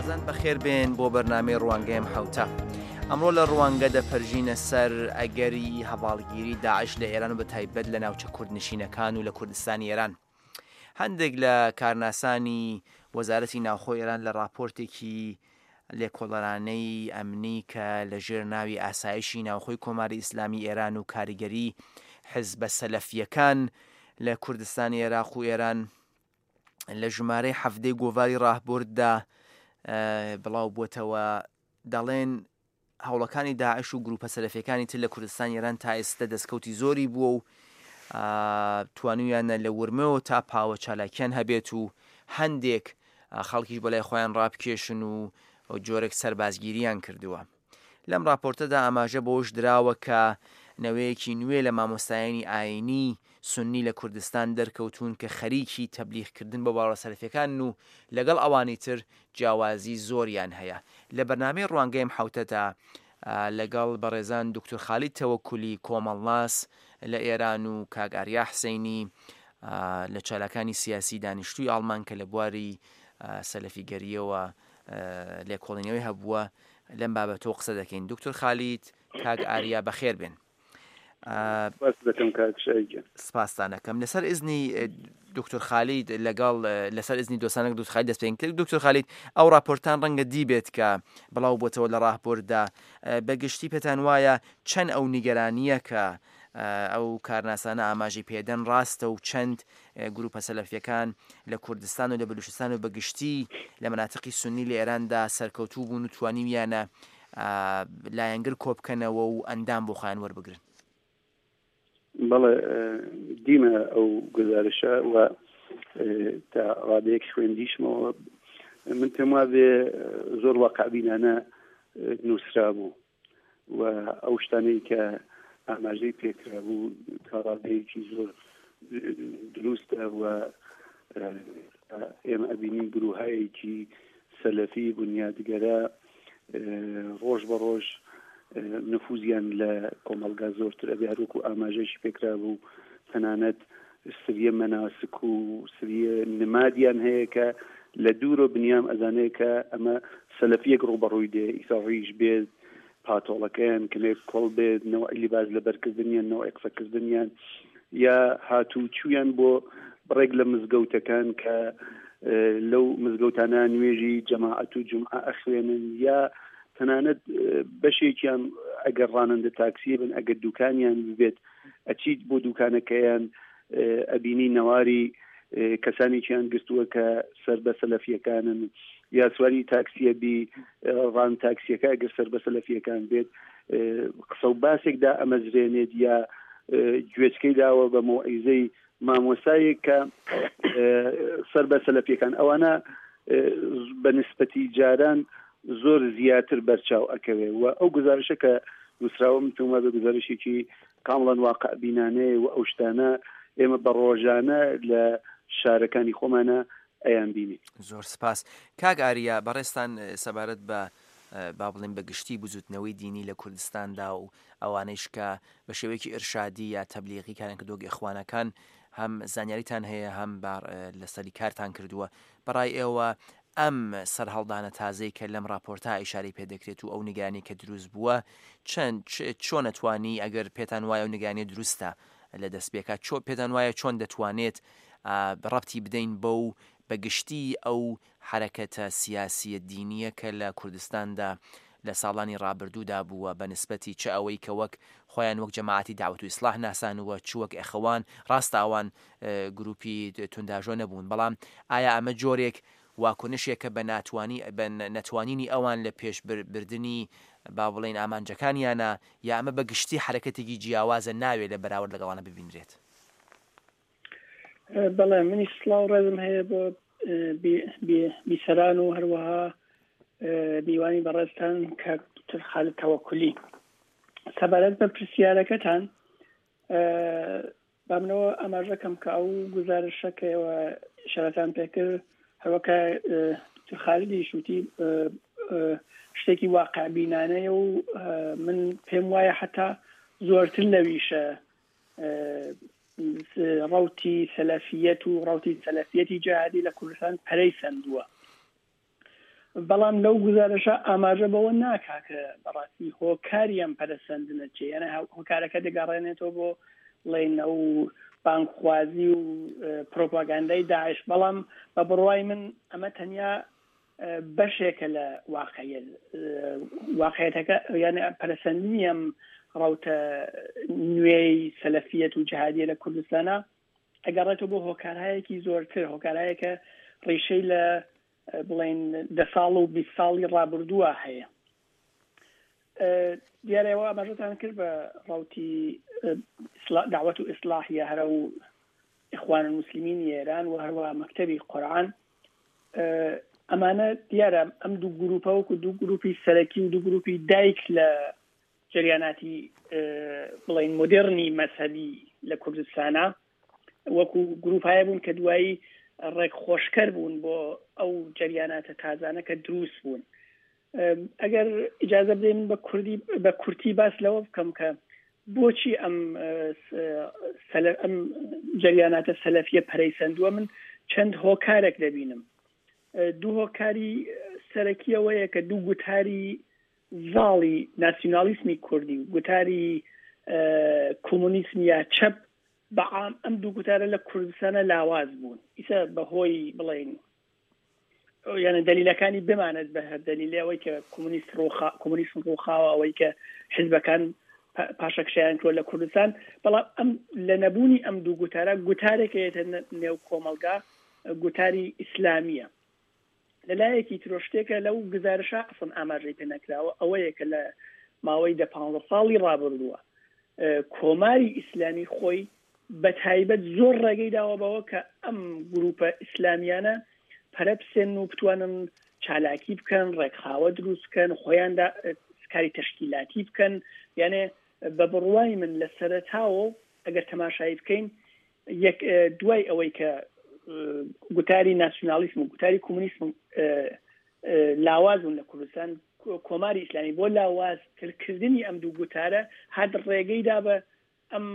بەڕێزان بەخێر بێن بۆ بەرنامەی ڕوانگەی ئەم حەوتە. ئەمڕۆ لە ڕوانگە دەپەرژینە سەر ئەگەری هەواڵگیری داعش لە ئێران و بە تایبەت لە ناوچە کوردنشینەکان و لە کوردستانی ئێران. هەندێک لە کارناسانی وەزارەتی ناوخۆی ئێران لە ڕاپۆرتێکی لێکۆڵەرانەی ئەمنی کە لە ژێر ناوی ئاسایشی ناوخۆی کۆماری ئیسلامی ئێران و کاریگەری حزبە سەلەفییەکان لە کوردستانی عێراق و ئێران لە ژمارەی حەفتەی گۆڤاری ڕاهبرددا بڵاو بووەتەوە دەڵێن هەوڵەکانی داعش و گروپە سەلەفیەکانی تر لە کوردستانی ئێران تا ئێستا دەستکەوتی زۆری بووە و توانویانە لە ورمەوە تا پاوە چالاکیان هەبێت و هەندێک خەڵکیش بەلای خۆیان ڕابکێشن و جۆرێک سەربازگیریان کردووە. لەم ڕاپۆرتەدا ئاماژە بەوەش دراوە کە نەوەیەکی نوێ لە مامۆستایانی ئایینی سوننی لە کوردستان دەرکەوتوون کە خەریکی تەبلیغکردن بۆ باوەڕە سەلەفیەکانن و لەگەڵ ئەوانی تر جیاوازی زۆریان هەیە. لە بەرنامەی ڕوانگەی ئەم حەوتەدا لەگەڵ بەڕێزان دوکتور خالید تەوەکولی کۆمەڵناس لە ئێران و کاک ئاریا حسەینی لە چالاکانی سیاسی دانیشتووی ئاڵمان کە لە بواری سەلەفیگەرییەوە لێکۆڵینەوەی هەبووە لەم بابەتەوە قسە دەکەین. دوکتور خالید، کاک ئاریا بەخێر بێن. سپاستان ئەکەم لەسەر ئزنی دکتۆر خالید لەگەڵ لەسەر ئزنی دۆستانەک دکتۆر خالید دەست پێ کرد دکتۆر خالید ئەو راپۆرتان ڕەنگە دی بێت کە بڵاو بۆتەوە لە راپۆرتدا بەگشتی پێتان وایە چەند ئەو نیگەرانییە کە ئەو کارناسانە ئاماژەی پێدەن ڕاستە و چەند گروپە سەلەفیەکان لە کوردستان و لە بلوچستان و بەگشتی لە مناتقی سنی لە ئێراندا سەرکەوتوو بوون و توانیویانە لایەنگر کۆبکەنەوە و ئەندام بۆ خۆیان وەربگرن؟ بەڵێ دیمە ئەو گزارشە و تا ڕادەیەک خوێندیشمەوە من پێم وابێ زۆر واقعبینانە نووسرا بوو و ئەو شتانەی کە ئاماژەی پێکرابوو تا ڕادەیەکی زۆر دروستە و ئێمە ئەبینین گروهایەکی سەلەفی بنیادگەرا ڕۆژ بە ڕۆژ نفوزیان لە کۆمەڵگا زۆرتر ئەبێ هەروەکو ئاماژەشی پێکرابوو تەنانەت سریە مەناسک و سریە نمادیان هەیە کە لە دوورۆ بنیام ئەزانێت کە ئەمە سەلەفیەک ڕووبەڕووی دێ ئیسا ڕیش بێت پاتۆڵەکەیان کەمێک کۆڵ بێت نەوعی لیباس لەبەرکردنیان نەوعی قسەکردنیان یا هاتوو چویان بۆ بڕێک لە مزگەوتەکان کە لەو مزگەوتانە نوێژی جەماعەت و جمعە ئەخوێنن یا تەنانەت بەشێکیان ئەگەر ڕانندە تاکسی بن ئەگەر دوکانیان ببێت ئەچیت بۆ دوکانەکەیان ئەبینی نەواری کەسانێکیان گرتووە کە سەر بە سەلەفیەکانن یا سواری تاکسیە بی ڕان تاکسیەکە ئەگەر سەر بە سەلەفیەکان بێت قسە و باسێکدا ئەمەزرێنێت یا گوێچکەی داوە بە مۆعیزەی مامۆسایەک کە سەر بە سەلەفیەکان ئەوانە بە نسبەتی جاران زۆر زیاتر بەرچاو ئەکەوێ و ئەو گزارشە کە نووسراوە من پێم وابێ گزارشێکی کامڵەن واقع بینانەیە و ئەو شتانە ئێمە بە ڕۆژانە لە شارەکانی خۆمانە ئەیان بینین. زۆر سپاس. کاک ئاریا بەڕێزتان سەبارەت بە با بڵێین بە گشتی بزووتنەوەی دینی لە کوردستاندا و ئەوانەیش کە بە شێوەیەکی ئیرشادی یا تەبلیغی کاریان کردووە وەک ئیخوانەکان هەم زانیاریتان هەیە هەم لەسەری کارتان کردووە بەڕای ئێوە ئەم سەرهەڵدانە تازەی کە لەم ڕاپۆرتە ئیشارەی پێ دەکرێت و ئەو نیگەرانی کە دروست بووە چەند چۆن ئەتوانی ئەگەر پێتان وایە ئەو نیگەرانیە دروستە لە دەستپێکا چۆ پێتان وایە چۆن دەتوانێت ڕەبتی بدەین بەو بە گشتی ئەو حەرەکەتە سیاسییە دینییە کە لە کوردستاندا لە ساڵانی ڕابردوودا بووە بە نسبەتی چ ئەوەی کە وەک خۆیان وەک جەماعەتی دەعوەت و ئیسڵاح ناسانووە چ وەک ئێخوان ڕاستە ئەوان گروپی تونداژۆ نەبوون بەڵام ئایا ئەمە جۆرێک واکنشێکە بە ناتوانی بە نەتوانینی ئەوان لە پێش بردنی با بڵێین ئامانجەکانیانە یا ئەمە بە گشتی حەرەکەتێکی جیاوازە ناوێ لە بەراورد لەگەڵانە ببینرێت؟ بەڵێ منیش سڵاو ڕێزم هەیە بۆ بیسەران و هەروەها میوانی بەڕێزتان کاک دکتۆر خالد تەوەکولی سەبارەت بە پرسیارەکەتان با منەوە ئاماژەکەم کە ئەو گزارشە کە ئێوە ئیشارەتان پێکرد هەروەکە دکتۆر خالدیش وتی شتێکی واقعبینانەیە و من پێم وایە حتا زۆرتر لەویشە ڕەوتی سەلەفیەت و ڕەوتی سەلەفیەتی جیهادی لە کوردستان پەرەی سەندووە. بەڵام لەو گوزارشە ئاماژە بەوە ناکا کە بەڕاستی هۆکاری ئەم پەرەسەندنە چیە، یانە هۆکارەکە دەگەڕێنێتەوە بۆ بڵێین ئەو بانگخوازی و پرۆپاگاندای داعش، بەڵام بە بڕوای من ئەمە تەنیا بەشێکە لە واقعیەت، واقعیەتەکە یانە پەرەسەندنی ئەم ڕەوتە نوێی سەلەفیەت و جهادیە لە کوردستانا ئەگەڕێتەوە بۆ هۆکارهایەکی زۆرتر، هۆکارهایەکە ڕیشەی لە بڵێین دە ساڵ و 20 ساڵی ڕابردووە هەیە. دیارە ئێوە ئاماژەتان کرد بە ڕەوتی داوەت و ئیسلاحیە هەرە و ئیخوان المسلمینی ئێران و هەروە مەکتەبی قورئان ئەمانە دیارە ئەم دوو گروپە وەکو دوو گروپی سەرەکی و دوو گروپی دایک لە جەریاناتی بڵین مۆدێرنی مەزهەبی لە کوردستانە وەکو گروپایە بوون کە دوایی ڕێکخۆشکەر بوون بۆ ئەو جەریاناتە تازانە کە دروست بوون. ئەگەر ئیجازە بدەی من بە کوردی بە کورتی باس لەوە بکەم کە بۆچی ئەم ئەم جەریاناتە سەلەفیە پەرەی سەندووە من چەند هۆکارێک دەبینم دوو هۆکاری سەرەکیەوەیە کە دوو گوتاری زاڵی ناسیونالیسمی کوردی و گوتاری کۆمۆنیسم یا چەپ بە عام ئەم دوو گوتارە لە کوردستانە لاواز بوون ئیسە بەهۆی بڵین یعنی دەلیلەکانی بمانێت بە هەر دەلیلێ ئەوەی کە کۆمۆنیست ڕوخا کۆمۆنیسم ڕوخاوە ئەوەی کە حزبەکان پاشەکشیان کرد لە کوردستان بەڵام ئەم لە نەبوونی ئەم دوو گوتارە گوتارێک یەتە نێو کۆمەڵگا گوتاری ئیسلامیە لە لایەکی ترۆ شتێکە لەو گزارشە ئەسڵەن ئاماژەی پێ نەکراوە ئەوەیە کە لە ماوەی دە پانزە ساڵی ڕابردووە کۆماری ئیسلامی خۆی بە تایبەت زۆر ڕێگەی داوە بەوە کە ئەم گروپە ئیسلامیانە پەرە بسێنن و بتوانن چالاکی بکەن، ڕێکخراوە دروست بکەن، خۆیان کاری تەشکیلاتی بکەن، یانێ بە بڕوای من لە سەرەتاوە ئەگەر تەماشایی بکەین یەک دوای ئەوەی کە گوتاری ناسیونالیسم و گوتاری کۆمونیسم لاواز بوون لە کوردستان کۆماری ئیسلامی بۆ لاوازترکردنی ئەم دوو گوتارە هات ڕێگەی دا بە ئەم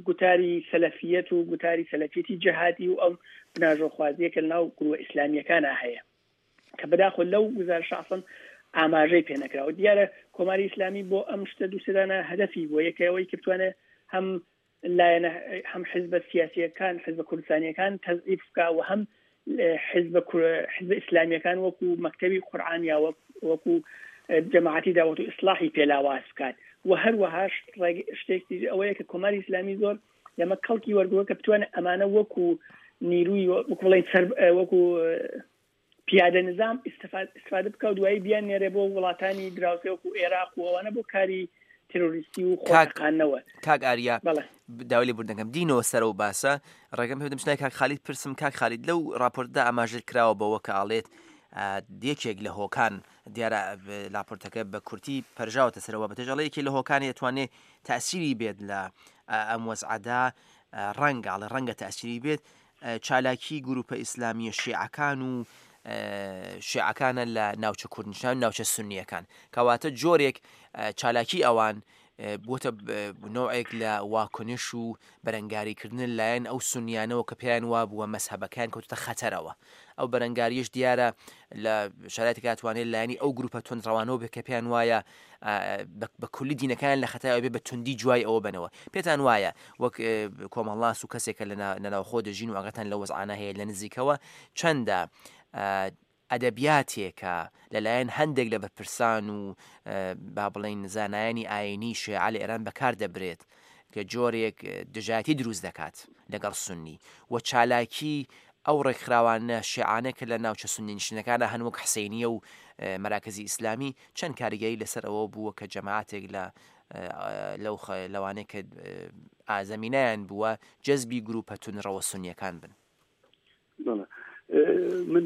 گوتاری سەلەفیەت و گوتاری سەلەفیەتی جەهادی و ئەم بناژۆخوازیە کە لەناو گروە ئیسلامیەکانا هەیە کە بەداخۆ لەو گوزارشە ئەسڵەن ئاماژەی پێ نەکراوە دیارە کۆماری ئیسلامی بۆ ئەم شتە دوو سێدانە هەدەفی بووە یەکە ئەوەی کە بتوانێت هەم لایەنە هەم حزبە سیاسیەکان حزبە کوردستانیەکان تەزعیف بکا و هەم حزبە حزبە ئیسلامیەکان وەکو مەکتەبی قورئان یا وەکو جەماعەتی داوەت و ئیسلاحی پێ لاواز بکات و هەروەهاش شتێکی ئەوەیە کە کۆماری ئیسلامی زۆر لەمە کەڵکی وەرگوە کە بتوانێت ئەمانە وەکو نیروی وەکو بڵێن سەر وەکو پیادە نظام استفاده بکە و دوایی بیان نێرێ بۆ وڵاتانی دراوسێ وەکو ئێراق و ئەوانە بۆ کاری تیرۆریستی و خۆتەقاندنەوە. کاک ئاریا داوای لێبوردن دەکەم دینەوە سەر ئەو باسە ڕێگەم پێ بدەم چنای کاک خالید پرسم کاک خالید لەو راپۆرتدا ئاماژە کراوە بەوە کە ئاڵێت یەکێک لە هۆکان دیارە لاپۆرتەکە بە کورتی پەرژاوەتە سەرەوە بەتەژ ئەڵێ یەکێ لە هۆکانی دەتوانێت تاسیری بێت لە ئەم وەزعەدا ڕەنگە ئەڵێ ڕەنگە تاسیری بێت چالاکی گروپە ئیسلامیە شیعەکان و شیعەکانە لە ناوچە کوردنشان ناوچە سنیەکان کەواتە جۆرێک چالاکی ئەوان بووەتە نەوعێک لە واکنش و بەرەنگاریکردن لایەن ئەو سنیانەوە کە پێیان وابووە مەزهەبەکەیان کەوتووەتە خەتەرەوە. ئەو بەرەنگارییەش دیارە لە شەرایتێکا توانێت لایەنی ئەو گروپە توندڕەوانەوە بێت کە پێیان وایە بە کولی دینەکەیان لە خەتای بێ بە توندی جوای ئەوە بنەوە. پێتان وایە وەک کۆمەڵناس و کەسێک کە لە ناوخۆ دەژین و ئاگاتان لەو وەزعانە هەیە لە نزیکەوە چەندە ئەدەبیاتێکە لەلایەن هەندێک لە بەرپرسان و با بڵێین زانایانی ئایینی شێعە لە ئێران بەکار دەبرێت کە جۆرێک دژایەتی دروست دەکات لەگەڵ سوننی و چالاکی ئەو ڕێکخراوانە شێعانە کە لە ناوچە سوننی نشینەکانە هەن وەک حسینیە و مەراکزی ئیسلامی چەند کاریگەری لەسەر ئەوە بووە کە جەماعەتێک لە لەو لەوانەیە کە ئازەمینیان بووە جەزبی گروپە تونڕەوە سونیەکان بن. بەڵێ من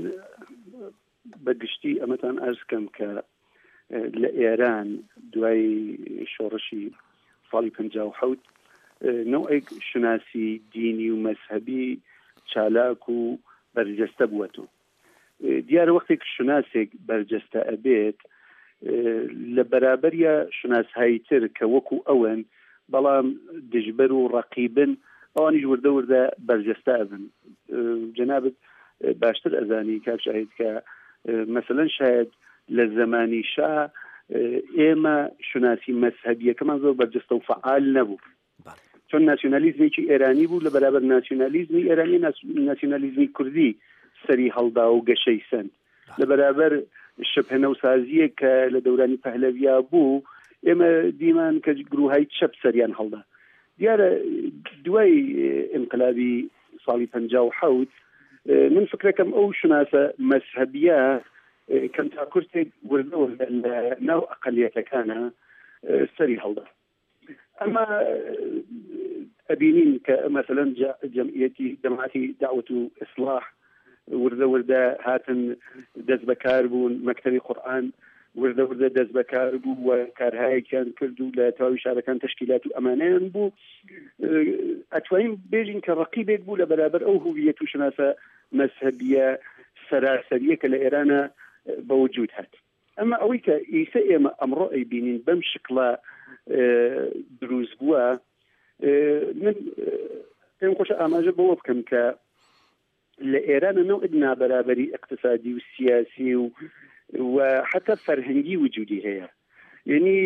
بە گشتی ئەمەتان ئەرز کەم کە لە ئێران دوای شۆڕشی ساڵی 1970 نەوەک شوناسی دینی و مەذهبی چالاک و بەرجەستە بووەتەوە دیارە وەختێک شوناسێک بەرجەستە ئەبێت لە بەرابەریا شوناسهایی تر کە وەکو ئەون بەڵام دژبەر و ڕەقیبن ئەوانیش وردە وردە بەرجەستە ئەبن جەنابت باشتر ئەزانی کاک شاهید کە. مەسەلەن شاید لە زەمانی شا ئێمە شوناسی مەزهەبیەکەمان زۆر بەرجەستە و فەعال نەبوو. چۆن ناسیۆنالیزمێکی ئێرانی بوو لە بەرابەر ناسیۆنالیزمی ئێرانی ناسیۆنالیزمی کوردی سەری هەڵدا و گەشەی سەند لە بەرابەر شبه نەوسازیەک کە لە دەورانی پەهلەویا بوو ئێمە دیمان کە گروهای چەپ سەریان هەڵدا دیارە دوای ئینقلابی ساڵی 57 من فکرەکەم ئەو شوناسە مەزهەبیە کەم تا کورتێک وردە وردە لە ناو ئەقلیەتەکانە سەری هەڵدا ئەمە ئەبینین کە مەسەلەن جەمعیەتی جەماعەتی دەعوەت و ئیسڵاح وردە وردە هاتن دەست بەکار بوون مەکتەبی قورئان وردە وردە دەست بەکار بوو و کارهایەکیان کرد و لە تەواوی شارەکان تەشکیلات و ئەمانەیان بوو ئەتوانین بێژین کە ڕقیبێک بوو لە بەرابەر ئەو هویەت و شناسە مەزهەبیە سەراسەریە کە لە ئێرانە بە وجود هات. ئەمە ئەوەی کە ئیسە ئێمە ئەمڕۆ ئەیبینین بەم شکڵە دروست بووە من پێم خۆشە ئاماژە بەوە بکەم کە لە ئێرانە نەوعێک نابەرابەری اقتصادی و سیاسی و و حتا فەرهەنگی وجودی هەیە یعنی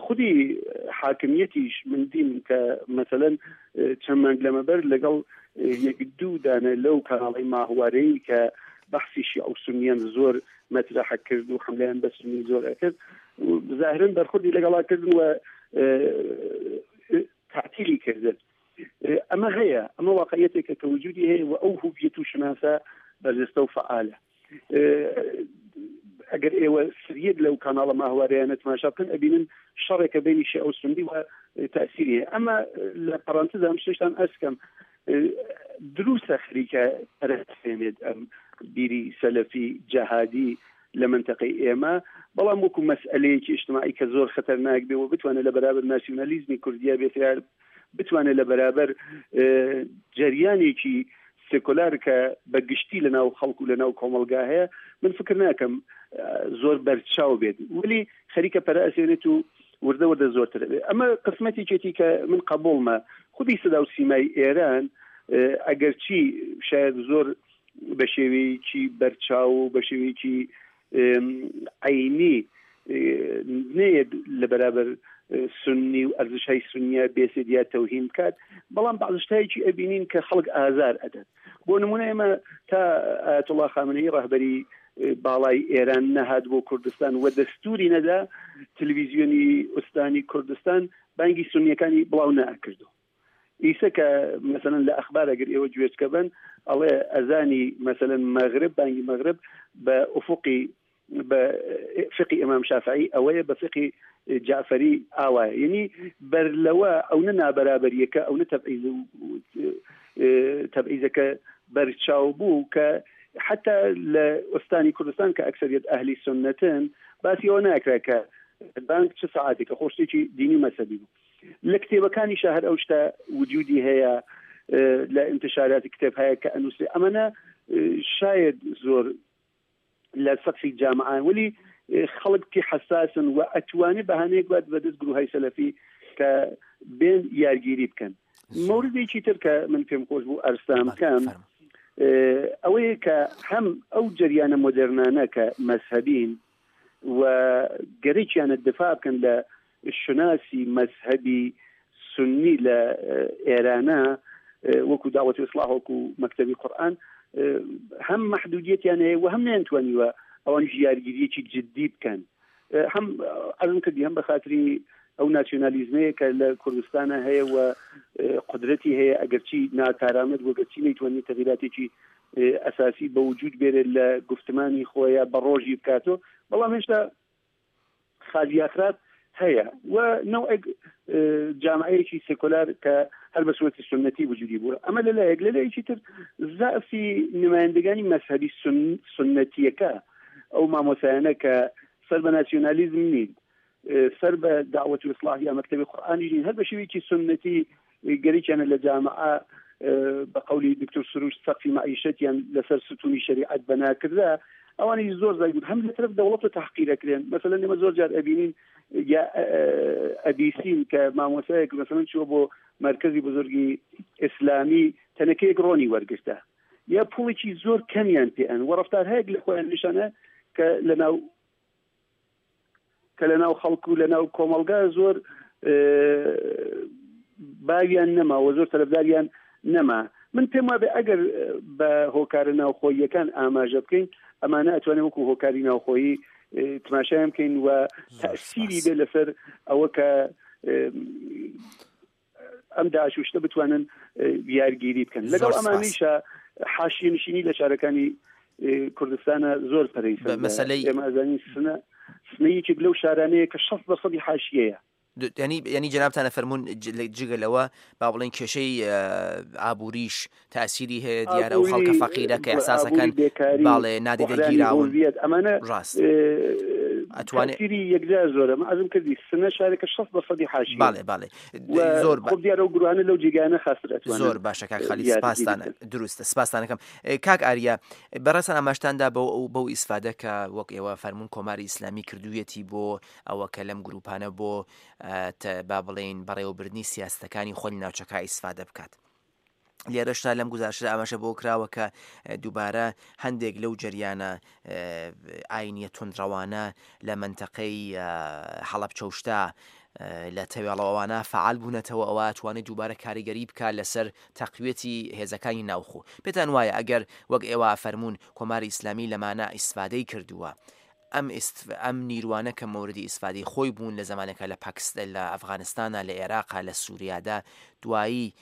خودی حاکمیەتیش من دیم کە مەسەلەن چەند مانگ لەمەبەر لەگەڵ یەک دوو دانە لەو کەناڵی ماهوارەی کە بەحسی شیعە و سونیان زۆر مەترەحە کرد و حملەیان بە سونی زۆر ئەکرد زاهرن بەرخوردی لەگەڵا کردن و تعتیلی کردن ئەمە هەیە ئەمە واقعیەتێکە کە وجودی هەیە و ئەو هویەت و شناسە بەرجەستە و فعالە ئەگەر ئێوە سریەک لەو کاناڵە ماهوارەیانە تماشا بکەن ئەبینن شەڕێکە بینی شیعە و سوننی و تەئسیری هەیە ئەمە لە پەرانتزا ئەم شتێشتان ئەسکەم دروستە خەریکە پەرەسێنێت ئەم بیری سەلەفی جەهادی لە منتەقەی ئێمە بەڵام وەکو مەسئلەیەکی ئیجتماعی کە زۆر خەتەرناک بێ و بتوانێت لە بەرابەر ناسیونالیزمی کوردیا بێت یا بتوانێت لە بەرابەر جەریانێکی سێکۆلار کە بە گشتی لە ناو خەڵک و لە ناو کۆمەڵگا هەیە من فکر ناکەم زۆر بەرچاو بێت ولی خەریکە پەرە ئەسێنێت و وردە وردە زۆرتر ئەبێت ئەمە قسمەتێکێتی کە من قبوڵمە خودی سەدا و سیمای ئێران ئەگەرچی شاید زۆر بە شێوەیەکی بەرچاو و بە شێوەیەکی عینی نەیەت لە بەرابەر سنی و ئەرزشهای سنیە بێسێت یا تەوهین بکات بەڵام بەعزشتایەکی ئەبینین کە خەڵک ئازار ئەدات بۆ نمونە ئێمە تا ئایەتوڵا خامنەیی ڕەهبەری باڵای ئێران نەهات بۆ کوردستان و دەستوری نەدا تلویزیۆنی ئوستانی کوردستان بانگی سنیەکانی بڵاو نەئەکردو ئیسە کە مەسەلەن لە ئەخبار ئەگەر ئێوە گوێچکە بن ئەڵێ ئەزانی مەسەلەن مەغرب بانگی مەغرب بە ئوفقی بە فقی ئیمام شافعی ئەوەیە بە فقی جعفری ئاوایە یعنی بەر لەوە ئەو نە نابەرابەریەکە ئەو نە تەبعیز تەبعیزەکە بەرچاو بوو کە حتا لە ئوستانی کوردستان کە ئەکسەریەت ئەهلی سنتن باسی ئەوە ناکرا کە بانک چ سەعاتێکە خۆ شتێکی دینی و مەزهەبی بوو لە کتێبەکانیشا هەر ئەو شتە وجودی هەیە لە انتشاراتی کتێب هەیە کە ئەنووسێ ئەمەە شاید زۆر لە سەقفی جامعان ولی خەڵک پێ حەساسن و ئەتوانێ بەهانەیەک بات بەدەست گروهای سەلەفی کە بێن یارگیری بکەن مەوردێکی تر کە من پێم خۆش بوو ئەرسان بکەم ئەوەیە کە هەم ئەو جەریانە مۆدێرنانە کە مەزهەبین و گەرەکیانە دفاع بکەن لە شوناسی مەزهەبی سوننی لە ئێرانە وەکو داوەتی ئیسلاح وەکو مەکتەبی قورئان هەم مەحدودیەتیان هەیە و هەم نەیانتوانیوە ئەوان ژیارگیریەکی جدی بکەن هەم عەرزم کردی هەم بە خاتری ئەو ناسیۆنالیزمەیە کە لە کوردستانە هەیە و قدرەتی هەیە ئەگەرچی ناکارامەت بۆ گەرچی نەیتوانی تەغیراتێکی ئەساسی بە وجود بێرێت لە گفتمانی خۆیان بە ڕۆژی بکاتەوە بەڵام هێشتا خالی یاخراب هەیە و نەوعێک جامعەیەکی سێکۆلار کە هەر بە سوەتی سنەتی وجودی بووە ئەمە لەلایەک لەلایەکی تر زەعفی نمایندگانی مەزهەبی سنەتیەکە ئەو مامۆسایانە کە سەر بە ناسیۆنالیزم نین سەر بە داوەت و ئیسلاح یا مەکتەبی قورئانی نین هەر بە شێوەیەکی سنەتی گەریکیانە لە جامعە بە قەولی دکتۆر سروش سەقفی مەعیشەتیان لەسەر ستونی شەریعەت بەنا کردا ئەوانیش زۆر زای بوون هەم لە تەرەف دەوڵەت تحقیر ئەکرێن مەسەلەن ئێمە زۆر جار ئەبینین یا ئەبیسین کە مامۆسایەک مەسەلەن چووە بۆ مەرکەزی بزرگی ئیسلامی تەنەکەیەک ڕۆنی وەرگرتە. یا پوڵێکی زۆر کەمیان پێ ئەن و ڕەفتارهایەک لە خۆیان نیشانە کە لە ناو کە لە ناو خەڵک و لە ناو کۆمەڵگا زۆر باویان نەما و زۆر تەرەفداریان نەما. من پێم وابێ ئەگەر بە هۆکارە ناوخۆییەکان ئاماژە بکەین ئەمانە ئەتوانێ وەکو هۆکاری ناوخۆیی تماشایان بکەین و تەسیری بێ لەسەر ئەوە کە ئەم داعش و شتە بتوانن یارگیری بکەن لەگەڵ ئەمانیشە حاشیە نشینی لە شارەکانی کوردستانە زۆر پەرەی مەسلەی ئێمە ئەزانین سنە سنە یەکێک لەو شارانەیە کە 60 لە سەدی حاشیەیە ینی ینی جەنابتانە فەرمونون جگە لەوە با بڵێن کێشەی ئابووریش تاسیری هەیە دیارە و خەڵکە فەقیرە کە ئەساسەکان باڵێ نادیدە گیراون ئەمانە ڕاست ئەتوانێت یەکجار زۆرە من عزم کردی سنە شارێکە 60 بە سەدی حاشی باڵێ باڵێ زۆر خۆ دیارە و گروانە لەو جێگانە خاستر ئەتوانن زۆر باشە کاک خالی سپاستان دروستە سپاستانەکەم کاک ئاریا بەڕێزان ئاماژتاندا بەو بەو ئیسفادە کە وەک ئێوە فەرمونون کۆماری ئیسلامی کردوویەتی بۆ ئەوە کە لەم گروپانە بۆ با بڵێین بەڕێوەبردنی سیاستەکانی خۆی لە ناوچەکە ئیسفادە بکات. لێرەشتا لەم گوزارشدا ئاماژە بۆ کراوە کە دووبارە هەندێک لەو جەریانە ئاینیە توندڕەوانە لە مەنتەقەی حەڵەبچەوشتا لە تەوێڵەوەوانە فعال بوونەتەوە ئەوە توانێت دووبارە کاریگەری بکات لەسەر تەقویەتی هێزەکانی ناوخۆ پێتان وایە ئەگەر وەک ئێوە فەرمونون کۆماری ئیسلامی لەمانە ئیسفادەی کردووە ئەم ئەم نیروانە کە مۆردی ئیسفادەی خۆی بوون لە زمانەکە لە پاکستان لە ئەفغانستانە لە عێراقا لە سووریادا دوایی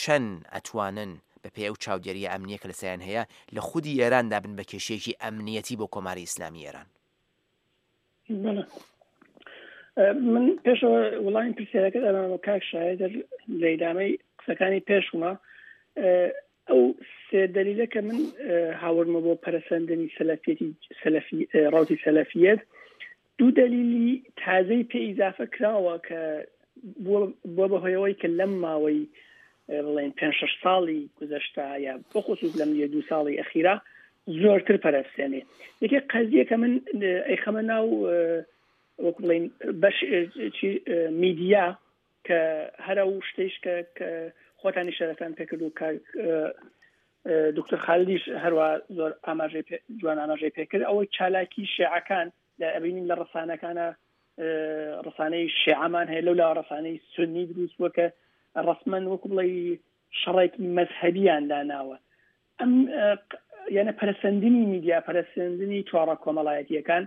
چەند ئەتوانن بە پێی ئەو چاودێرییە ئەمنییە کە لەسەریان هەیە، لە خودی ئێراندا بن بە کێشەیەکی ئەمنییەتی بۆ کۆماری ئیسلامی ئێران؟ بەڵێ. من پێشەوە وڵامی پرسیارەکەت ئەمامە کاک شاهێدەر لە ئیدامەی قسەکانی پێشومە ئەو سێ دەلیلە کە من هاوردمە بۆ پەرەسەندنی سەلەفیەتی سەلەفی ڕەوتی سەلەفیەت دوو دەلیلی تازەی پێ ئیزافە کراوە کە بووە بە هۆیەوەی کە لەم ماوەی بڵێن پێ شش ساڵی گوزەشتا یا بەخصوص لەم یە دوو ساڵی ئەخیرا زۆرتر پەرەسێنێ یەکێ قەزیە کە من ئەیخەمە ناو وەک بڵین بەش میدیا کە هەر ئەو شتەیش کە خۆتان ئیشارەتان پێکرد و کاک دکتۆر خالدیش هەروە زۆر ئاماژەی جوان ئاماژەی پێکرد ئەوەی چالاکی شێعەکان لە ئەبینین لە ڕسانەکانە ڕسانەی شێعەمان هەیە لەو لا ڕسانەی سنی دروست بووە کە ڕسمەن وەکو بڵێ شەڕێکی مەزهەبیان داناوە ئەم یانە پەرەسەندنی میدیا پەرەسەندنی تۆڕە کۆمەڵایەتیەکان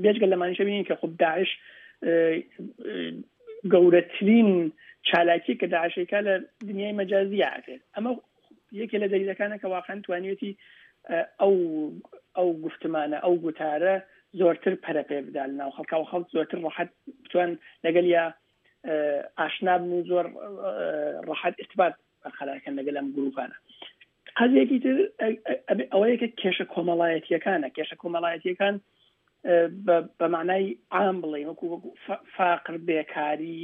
بێجگە لەمانیشە بینین کە خب داعش گەورەترین چالاکی کە داعشەکە لە دنیای مەجازیە ئەکرێت ئەمە یەکێ لە دەلیلەکانە کە واقعا توانیوێتی ئەو ئەو گفتمانە ئەو گوتارە زۆرتر پەرە پێ بدا لە ناو خەڵکا و خەڵک زۆرتر ڕەحەت بتوان لەگەل یا ئاشنا بن و زۆر ڕەحەت ارتباط بەرقەرارکەن لەگەل ئەم گروپانە قەزیەکی تر ئەوەیە کە کێشە کۆمەڵایەتیەکانە کێشە کۆمەڵایەتیەکان بە معنای عام بڵێ وەکو وەکو فاقر بێکاری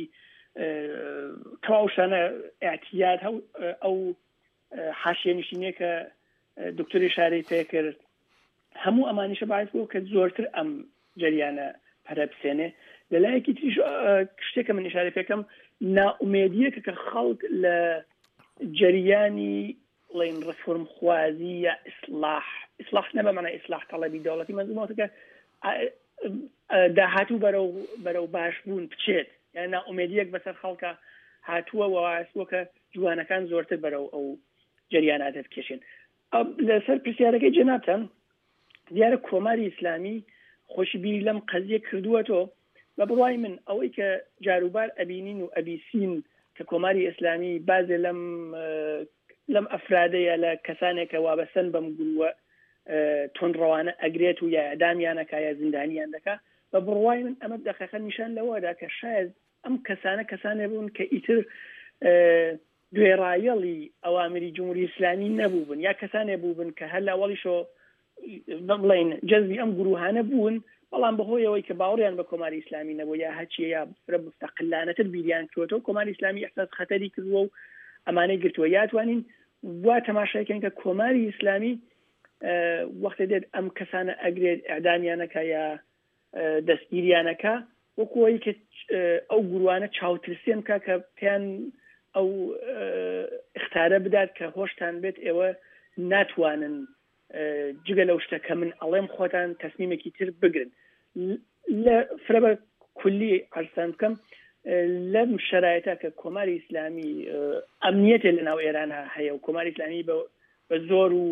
تەواو شانە اعتیاد هەو ئەو حاشیە نشینیە کە دکتۆری شارەی پێکرد هەموو ئەمانیشە باعث بووە کە زۆرتر ئەم جەریانە پەرە بسێنێ لەلایەکی تریش شتێکە من ئشارە پێکەم نائومێدیەکە کە خەڵک لە جەریانی بڵین ڕفۆرم خوازی یا ئیسلاح ئیسلاح نە بە معنای ئیسلاح تەڵەبی دەوڵەتی مەزمومەکە داهاتوو بەرەو بەرەو باشبوون بچێت یان نائومێدیەک بەسەر خەڵکە هاتووە وەواسووە کە جوانەکان زۆرتر بەرەو ئەو جەریاناتە بکێشێن لەسەر پرسیارەکەی جەنابتان دیارە کۆماری ئیسلامی خۆشی بیری لەم قەزیە کردووەتەوە بە بڕوای من ئەوەی کە جاروبار ئەبینین و ئەبیسین کە کۆماری ئیسلامی بازێ لەم لەم ئەفرادەیە لە کەسانێک کە وابەستەن بەم گرووە توندڕەوانە ئەگرێت و یا ئەدامیانەکە یا زیندانیان دەکا بە بڕوای من ئەمە دەقەقە نیشان لەوەدا کە شاید ئەم کەسانە کەسانێ بوون کە ئیتر گوێڕایەڵی ئەوامری جمهوری ئیسلامی نەبووبن یا کەسانێ بووبن کە هەر لە ئەوەڵیشەوە بڵێین جەزبی ئەم گروهانە بوون بەڵام بەهۆی ئەوەی کە باوەڕیان بە کۆماری ئیسلامی نەبوو یا هەچیە یا فرە مستەقلانەتر بیریان کردووەتەوە کۆماری ئیسلامی ئیحساس خەتەری کردووە و ئەمانەی گرتووە یا توانین وا تەماشای کەین کە کۆماری ئیسلامی وەختێ دێت ئەم کەسانە ئەگرێت ئەعدامیانەکە یا دەستگیریانەکە وەکو ئەوەی کە ئەو گروانە چاوترسێن بکە کە پێیان ئەو اختارە بدات کە هۆشتان بێت ئێوە ناتوانن جگە لەو شتە کە من ئەڵێم خۆتان تەسمیمێکی تر بگرن. لە فرە بە کولی عەرزتان بکەم لەم شەرایتە کە کۆماری ئیسلامی ئەمنیەتێ لە ناو ئێران هەیە و کۆماری ئیسلامی بە بە زۆر و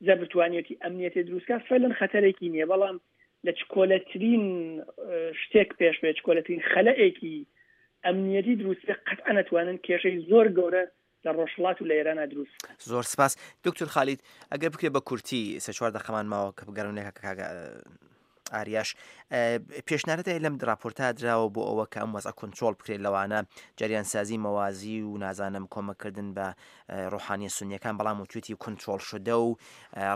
زەبر توانیەتی ئەمنیەتێ دروستکا فعلەن خەتەرێکی نییە بەڵام لە چکۆلەترین شتێک پێش بێ چکۆلەترین خەلەئێکی ئەمنیەتی دروست بێ قەتعەن ئەتوانن کێشەی زۆر گەورە لە ڕۆژهەڵات و لە ئێرانا دروست بکەن. زۆر سپاس دکتور خالید ئەگەر بکرێت بە کورتی سێ چوار دەقەمان ماوە کە بگەڕێن لە کاک ئاریاش پێشنارەت هەیە لەم راپۆرتا دراوە بۆ ئەوە کە ئەم وەزع کۆنترۆڵ بکرێت لەوانە جەریانسازی مەوازی و نازانم کۆمەکردن بە ڕۆحانیە سونیەکان بەڵام وتوێتی کۆنترۆڵ شدە و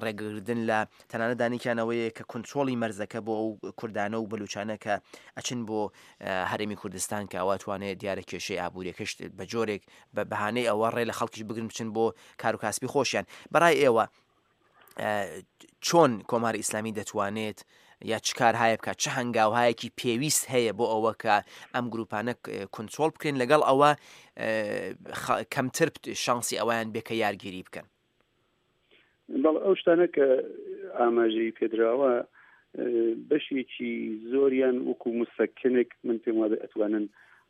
ڕێگەگردن لە تەنانەت دانیکیانەوەیە کە کۆنترۆڵی مەرزەکە بۆ ئەو کوردانە و بەلوچانە کە ئەچن بۆ هەرێمی کوردستان کە ئەوە توانێت دیارە کێشەی ئابووریەکەش بە جۆرێک بە بەهانەی ئەوە ڕێ لە خەڵکیش بگرن بچن بۆ کار و کاسبی خۆشیان بەڕای ئێوە چۆن کۆماری ئیسلامی دەتوانێت یا چ کارهایە بکات چ هەنگاوهایەکی پێویست هەیە بۆ ئەوە کە ئەم گروپانە کنترۆل بکرێن لەگەڵ ئەوە کەمتر شانسی ئەویان بێ کە یارگیری بکەن بەڵ ئەو شتانە کە ئاماژەی پێدراوە بەشێکی زۆریان وەکو مسەکنێک من پێم وابێ ئەتوانن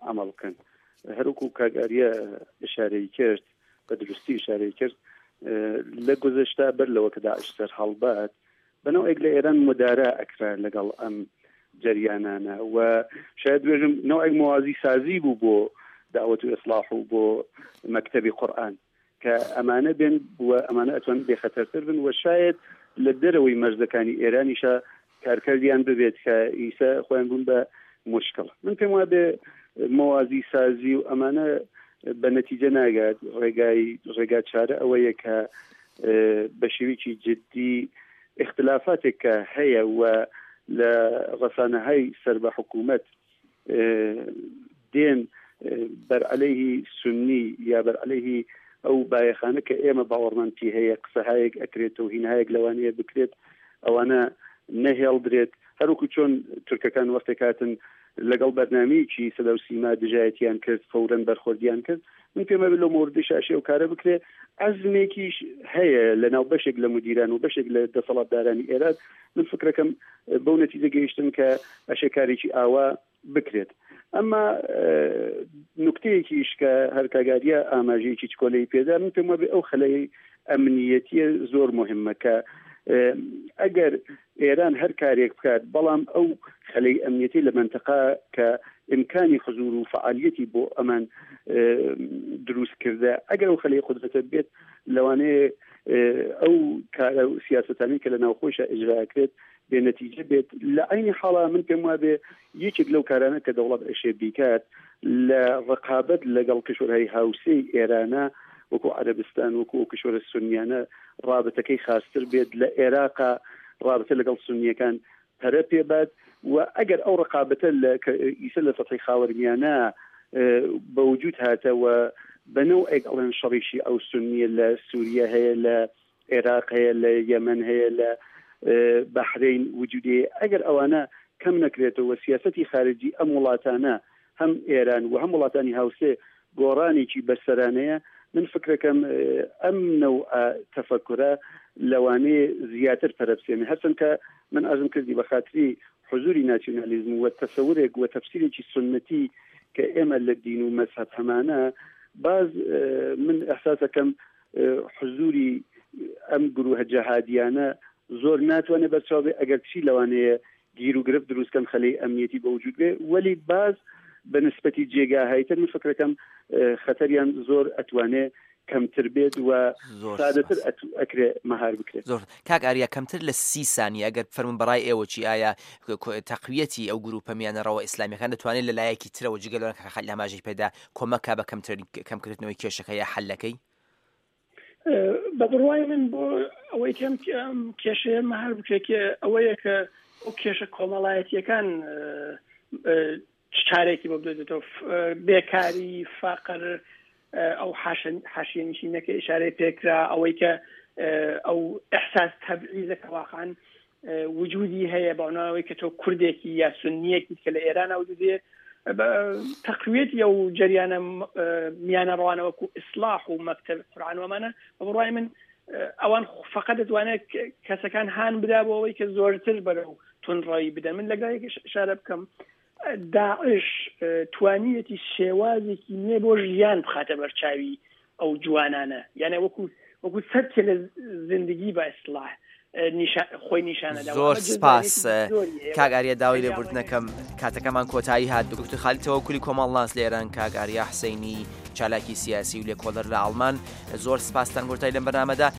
عمل بکەن هەروکو کاگاریە ئشارەی کرد بە دروستی ئشارەی کرد لە گوزەشتا بەر لەوە کە داعش سەر هەڵبات بەنەوەێک لە ئێران مدارا ئەکرا لەگەڵ ئەم جەریانانە و شاید بێژم نەوەک موازی سازی بوو بۆ داوەت و ئیسلاح و بۆ مەکتەبی قورئان کە ئەمانە بێن و ئەمانە ئەتوان بێخەتەرتر بن و شاید لە دەرەوەی مەرزەکانی ئێرانیشە کارکردیان ببێت کە ئیسە خۆیان بوون بە مشکل من پێم وابێ مەوازی سازی و ئەمانە بە نەتیجە ناگات ڕێگای ڕێگا چارە ئەوەیە کە بە شێوەیەکی جددی اختلافاتێک کە هەیە و لە ڕسانەهای سەر بە حکوومەت دێن بەرعەلەیهی سوننی یا بەرعەلەیهی ئەو بایەخانە کە ئێمە باوەڕمان پێی هەیە قسەهایەک ئەکرێت و هینهایەک لەوانەیە بکرێت ئەوانە نەهێڵدرێت هەروکو چۆن تورکەکان وەختێک هاتن لەگەڵ بەرنامەیەکی سەدا و سیما دژایەتیان کرد فەورەن بەرخۆردیان کرد من پێم وابێ لەو مەوردیشا ئەشێ ئەو کارە بکرێ عەزمێکیش هەیە لە ناو بەشێک لە مدیران و بەشێک لە دەسەڵاتدارانی ئێران من فکرەکەم بەو نەتیجە گەیشتم کە ئەشێ کارێکی ئاوا بکرێت ئەمما نکتەیەکیش کە هەرکاگاریە ئاماژەیەکی چکۆلەی پێدا من پێم وابێ ئەو خەلەی ئەمنیەتیە زۆر مهمە کە ئەگەر ئێران هەر کارێک بکات بەڵام ئەو خەلەی ئەمنیەتی لە مەنتەقە کە ئیمکانی حزور و فەعالیەتی بۆ ئەمان دروست کردە ئەگەر ئەو خەلەی قودرەتە بێت لەوانەیە ئەو کارە و سیاسەتانی کە لە ناوخۆیشە ئیجراکرێت بێ نەتیجە بێت لە عینی حاڵا من پێم وابێ یەکێک لەو کارانە کە دەوڵەت ئەشێ بیکات لە ڕقابەت لەگەڵ کشوەرهای هاوسێی ئێرانە وەکو عەرەبستان وەکو ئەو کشوەرە سونیانە ڕابتەکەی خاستر بێت لە ئێراقا ڕابتە لەگەڵ سونیەکان پەرە پێ بات و ئەگەر ئەو ڕقابەتە لە ئیسە لە سەتحی خاوەرمیانە بە وجود هاتە و بە نەوعێک ئەڵێن شەڕی شیعە و سونیە لە سوریە هەیە لە عێراق هەیە لە یەمەن هەیە لە بەحرەین وجودی هەیە ئەگەر ئەوانە کەم نەکرێتەوە سیاسەتی خارجی ئەم وڵاتانە هەم ئێران و هەم وڵاتانی هاوسێ گۆڕانێکی بەسەرانەیە من فکرەکەم ئەم نەوعە تەفەکورە لەوانەیە زیاتر پەرە بسێنێ هەرچەند کە من عەرزم کردی بە خاتری حزوری ناسیونالیزم و تەسەورێک و تەفسیرێکی سوننەتی کە ئێمە لە دین و مەزهەب هەمانە باز من ئیحساسەکەم حزوری ئەم گروهە جەهادیانە زۆر ناتوانێت بەرچاو بێ ئەگەر چی لەوانەیە گیر و گرفت دروست کەن خەلەی ئەمنیەتی بە وجود بێ وەلی باز بە نسبەتی جێگاهای تر من فکرەکەم خەتەریان زۆر ئەتوانێ کەمتر بێت و سادەتر ئەکرێ مەهار بکرێت. زۆر کاک ئاریا کەمتر لە سی سانیە ئەگەر بفەرموون بەڕای ئێوە چی ئایا تەقویەتی ئەو گروپە میانەڕەوە ئیسلامیەکان دەتوانێت لە لایەکی ترەوە جگە لەوە کە خەلیل ئاماژەی پێدا کۆمەک کا بە کەمتر کەمکردنەوەی کێشەکە یا حەلەکەی؟ بە بڕوای من بۆ ئەوەی کەم ئەم کێشەیە مەهار بکرێت کە ئەوەیە کە ئەو کێشە کۆمەڵایەتیەکان چ چارێکی بۆ بدۆزێتەوە بێکاری فەقر ئەو حاشیەنشینەکە ئشارەی پێکرا ئەوەی کە ئەو ئەحساس تەبعیزە کە واقعا وجودی هەیە بەناوەی کە تۆ کوردێکی یا سنیەکی کە لە ئێران وجودی تەقویەتی ئەو جەریانە میانە ڕوانە وەکو ئیسلاح و مەکتەب قورآن ومانە بە بڕوای من. ئەوان فقط دەتوانێت کەسەکان هان بدا بۆ ئەوەی کە زۆرتر بەرەو تونڕەوی بدەن من لەگەڵ شارە بکەم داعش توانیەتی شێوازێکی نوێ بۆ ژیان بخاتە بەرچاوی ئەو جوانانە یانە وەکو وەکو سەرکێ لە زندگی بە ئیسلاح خۆی نیشانەدا زۆر سپاس کاک ئاریا داوای لێبوردنەکەم کاتەکەمان کۆتایی هات دکتۆر خالید تەوەکولی کۆمەڵناس لە ئێران کاک ئاریا حسینی چالاکی سیاسی و لێکۆڵەر لە ئاڵمان زۆر سپاستان گۆتای لەم بەرنامەدا.